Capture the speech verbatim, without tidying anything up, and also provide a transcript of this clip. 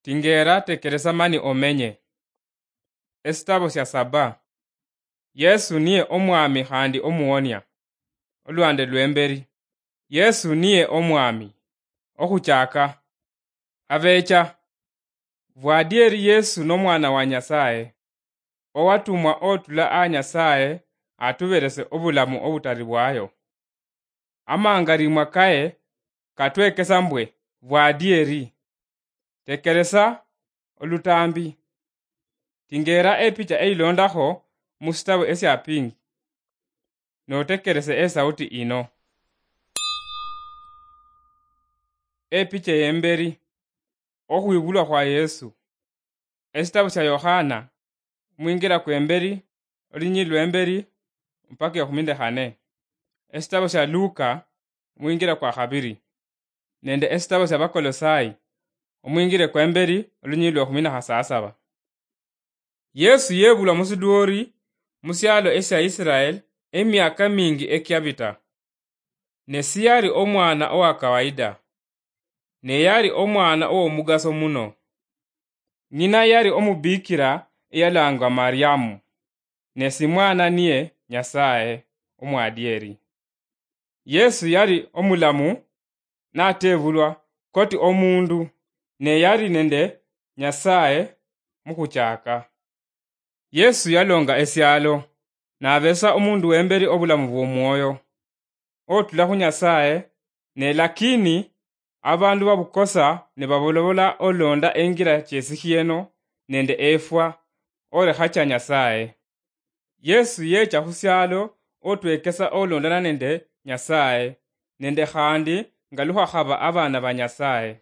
Tingeera tekeresa mani omenye. Esitabo sya saba. Yesu niye Omwami khandi Omuwonia. Olwande lw'emberi. Yesu niye Omwami. Okhuchaka. Abecha. Vwadieri Yesu n'Omwana wa Nyasaye. Owatumwa otula a Nyasaye atuberese obulamu obutari bwayo. Amangarimwa kaye katwekesa mbwe vwadieri. Tekeresa olutambi. Tingeera epicha eilondakho mu sitabo esya pingi. Notekerese esauti ino. Epicha ey'emberi. Okhwibulwa khwa Yesu. Esitabo sya Yokhana, omwingira kw'emberi, olunyili lw'emberi, mpaka ekhumi nde khane. Esitabo sya Luka, omwingira kwa khabiri. Nende esitabo sya Bakolosai, omwingire kw'emberi, olunyili lw'ekhumi na khasasaba. Yesu yebulwa mu sidwori mu syalo esya Israel emyaka mingi ekyabita. Ne siyali omwana owa kawaida, ne yali omwana ow'omugaso muno. Ng'ina yali omubikira eyalangwa Mariamu, ne simwana niye Nyasaye omwadieri. Yesu yali omulamu natebulwa koti omundu, ne yali nende Nyasaye mukhuchaka. Yesu yalonga esialo, nabesa omundu wemberi obulamu bw'omwoyo, otula khu Nyasaye, ne lakini abandu babukosa ne babolobola olonda engira chesikhieno nende efwa, orekha cha Nyasaye. Yesu yecha khusialo otwekesa olondana nende Nyasaye, nende khandi nga lukhakhaba abana ba Nyasaye.